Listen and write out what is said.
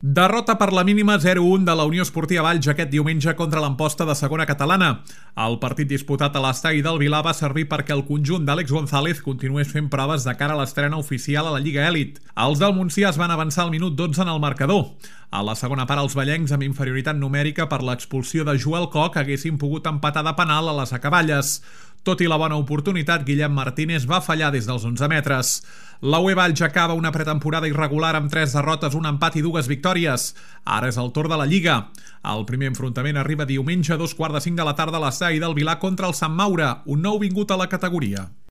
Derrota per la mínima 0-1 de la Unió Esportiva Valls aquest diumenge contra l'Amposta de segona catalana. El partit disputat a l'estadi del Vilar va servir perquè el conjunt d'Àlex González continués fent proves de cara a l'estrena oficial a la Lliga Elit. Els del Montsià es van avançar al minut 12 en el marcador. A la segona part, els vallencs, amb inferioritat numèrica per l'expulsió de Joel Koch, haguessin pogut empatar de penal a les acaballes. Tot i la bona oportunitat, Guillem Martínez va fallar des dels 11 metres. La UE Valls acaba una pretemporada irregular amb 3 derrotes, un empat i 2 victòries. Ara és el torn de la Lliga. El primer enfrontament arriba diumenge a 2:45 de la tarda a l'estadi del Vilar contra el Sant Maure, un nou vingut a la categoria.